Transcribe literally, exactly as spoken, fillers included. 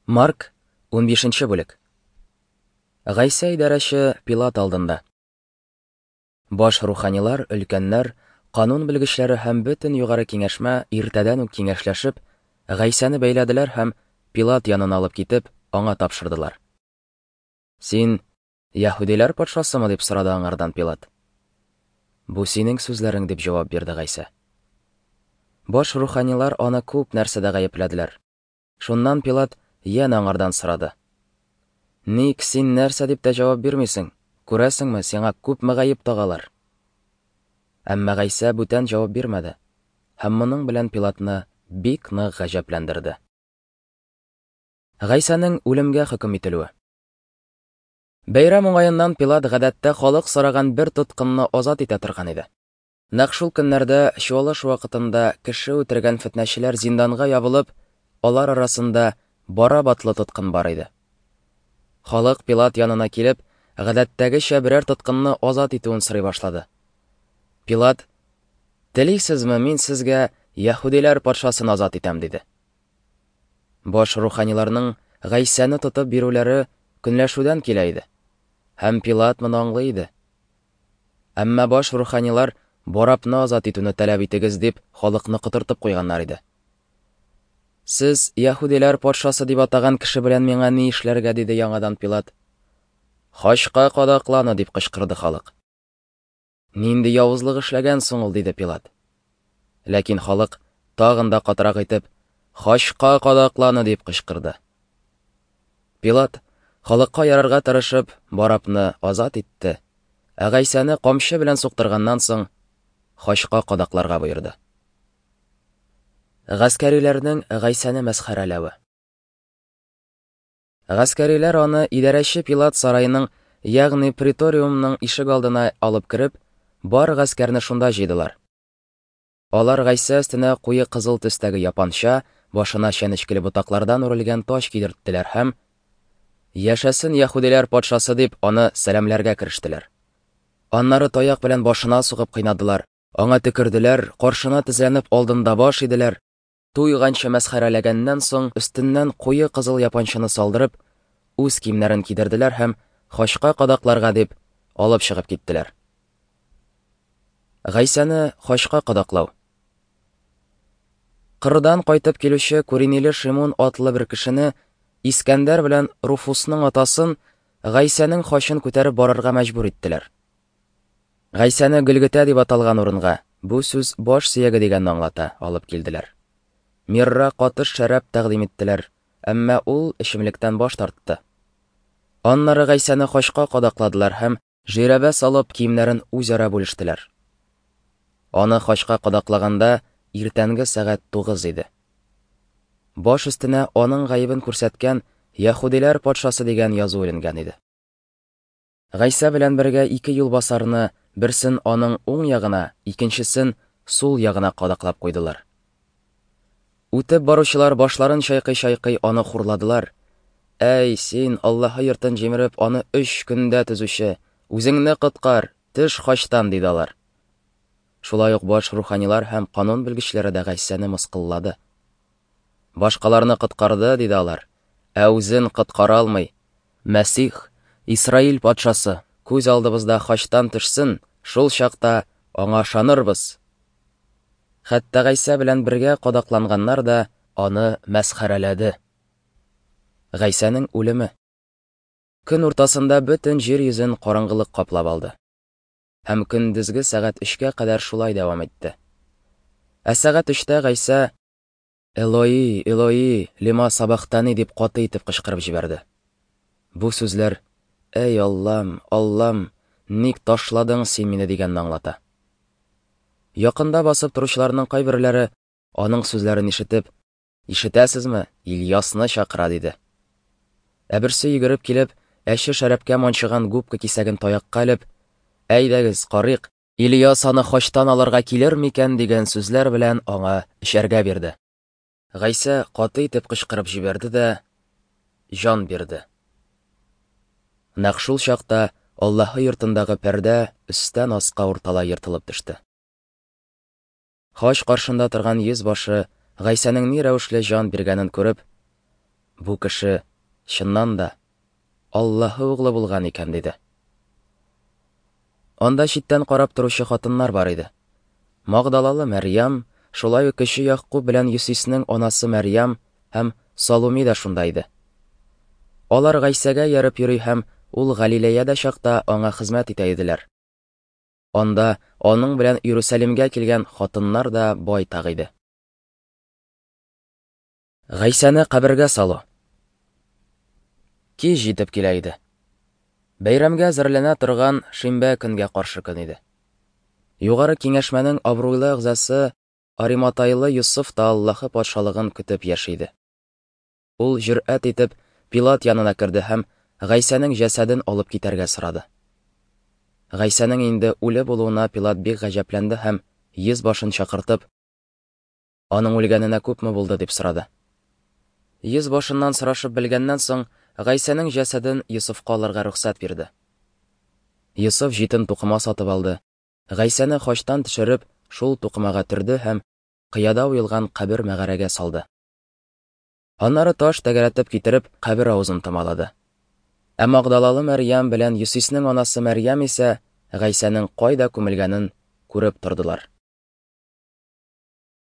Марк, унбишенче бүлек. Гайсә идарәче Пилат алдында. Баш руханилар, өлкәннәр, канун белгечләре һәм бөтен югары киңәшмә иртәдән үк киңәшләшеп, Гайсәне бәйләделәр һәм Пилат янына алып китеп, аңа тапшырдылар. Син яһүдиләр патшасымы, дип сорады аңардан Пилат. Бу синең сүзләрең, дип җавап бирде Гайсә. Баш руханилар аны күп нәрсәдә гаепләделәр. Шуннан Пилат янә аңардан сорады. Ник син нәрсә дип тә җавап бирмисең? Күрәсеңме, сиңа күпме гаеп тагалар? Әмма Гайсә бүтән җавап бирмәде һәм моның белән Пилатны бик нык гаҗәпләндерде. Гайсәнең үлемгә хөкем ителүе. Бәйрәм уңаеннан Пилат гадәттә халык сораган бер тоткынны азат итә торган иде. Нәкъ шул көннәрдә чуалыш вакытында кеше үтергән фетнәчеләр зинданга ябылып, алар арасында Бараб атлы тоткын бар иде. Халык Пилат янына килеп, гадәттәгечә берәр тоткынны азат итүен сорый башлады. Пилат: "Телисезме, мин сезгә яһүдиләр патшасын азат итәм", диде. Баш руханиларның Гайсәне тотып бирүләре көнләшүдән килә иде. Һәм Пилат моны аңлый иде. Әмма баш руханилар Барабны азат итүне таләп итегез дип халыкны котыртып куйганнар иде. Сез яһүдиләр патшасы дип атаган кеше белән миңа ни эшләргә, диде яңадан Пилат. Хачка кадакланы, дип кычкырды халык. Нинди явызлык эшләгән соң ул, диде Пилат. Ләкин халык тагын да катырак итеп, хачка кадакланы, дип кычкырды. Пилат, халыкка ярарга тырышып, Барабны азат итте, ә Гайсәне камчы белән суктырганнан соң хачка кадакларга боерды. Гаскәриләрнең Гайсәне мәсхәрәләве. Гаскәриләр аны идарәче Пилат сараеның, ягъни преториумның ишек алдына алып кереп, бар гаскәрне шунда җыйдылар. Алар Гайсә өстенә куе кызыл төстәге япанча, башына чәнечкеле ботаклардан үрелгән таҗ кидерттеләр һәм "Яшәсен яһүдиләр патшасы" дип аны сәламләргә керештеләр. Аннары таяк белән башына сугып кыйнадылар, аңа төкерделәр, каршына тезләнеп алдында баш иделәр. Туйганчы мәсхәрәләгәннән соң өстеннән куе кызыл япанчаны салдырып, үз киемнәрен кидерделәр һәм хачка кадакларга дип алып чыгып киттеләр. Гайсәне хачка кадаклау. Кырдан кайтып килүче Куриниле Шимун атлы бер кешене, Искәндәр белән Руфусның атасын, Гайсәнең хачын күтәреп барырга мәҗбүр иттеләр. Гайсәне Гөлгетә дип аталган урынга, бу сүз баш сөяге дигәнне аңлата, алып килделәр. Мирра катыш шәраб тәкъдим иттеләр, әмма ул эчемлектән баш тартты. Аннары Гайсәне хачка кадакладылар һәм жирәбә салып киемнәрен үзара бүлештеләр. Аны хачка кадаклаганда иртәнге сәгать тугыз иде. Баш өстенә аның гаебен күрсәткән "Яһүдиләр патшасы" дигән язу эленгән иде. Гайсә белән бергә ике юлбасарны, берсен аның уң ягына, икенчесен сул ягына кадаклап куйдылар. Үтеп баручылар башларын чайкый-чайкый аны хурладылар. Әй, син, Аллаһы йортын җимереп, аны өч көндә төзүче, үзеңне коткар, төш хачтан, диде алар. Шулай ук баш руханилар һәм канун белгечләре дә Гайсәне мыскыллады. Башкаларны коткарды, диде алар, ә үзен коткара алмый. Мәсих, Исраил патшасы, күз алдыбызда хачтан төшсен, шул чакта аңа ышанырбыз. Хәтта Гайсә белән бергә кадакланганнар да аны мәсхәрәләде. Гайсәнең үлеме. Көн уртасында бөтен җир йөзен караңгылык каплап алды. Һәм көндезге сәгать өчкә кадәр шулай дәвам итте. Ә сәгать өчтә Гайсә "Элои, Элои, лема сабахтани" дип каты итеп кычкырып җибәрде. Бу сүзләр "Әй Аллам, Аллам, ник ташладың син мине" дигәнне аңлата. Якында басып торучыларның кайберләре аның сүзләрен ишетеп, "Ишетәсезме, Ильясны чакыра", диде. Ә берсе йөгереп килеп, әче шәрабкә манчыган губка кисәген таякка элеп, "Әйдәгез, карыйк, Ильяс аны хачтан алырга килер микән" дигән сүзләр белән аңа эчәргә бирде. Гайсә каты итеп кычкырып җибәрде дә җан бирде. Нәкъ шул чакта Аллаһы йортындагы пәрдә өстән аска урталай ертылып төште. Хач каршында торган йөз башы Гайсәнең ни рәвешле җан биргәнен күреп, Бу кеше, чыннан да, Аллаһы углы булган икән, диде. Анда читтән карап торучы хатыннар бар иде. Магдалалы Мәрьям, шулай ук кече Ягъкуб белән Йосиснең анасы Мәрьям һәм Салуми да шунда иде. Алар Гайсәгә ияреп йөри һәм ул Галилеядә чакта аңа хезмәт итә иделәр. Анда аның белән Иерусалимгә килгән хатыннар да байтак иде. Гайсәне кабергә салу. Кич җитеп килә иде. Бәйрәмгә әзерләнә торган шимбә көнгә каршы көн иде. Югары киңәшмәнең абруйлы әгъзасы Ариматайлы Йосыф та Аллаһы патшалыгын көтеп яши иде. Ул җөрьәт итеп Пилат янына керде һәм Гайсәнең җәсәден алып китәргә сорады. Гайсәнең инде үле булуына Пилат бик гаҗәпләнде һәм йөз башын чакыртып, аның үлгәненә күпме булды дип сорады. Йөз башыннан сорашып белгәннән соң, Гайсәнең җәсәден Йосыфка алырга рөхсәт бирде. Йосыф җитен тукыма сатып алды. Гайсәне хачтан төшереп, шул тукымага төрде һәм кыяда уелган кабер мәгарәгә салды. Аннары таш тәгәрәтеп китереп, кабер авызын томалады. Ә Магдалалы Мәрьям белән Йосиснең анасы Мәрьям исә Гайсәнең кайда күмелгәнен күреп тордылар.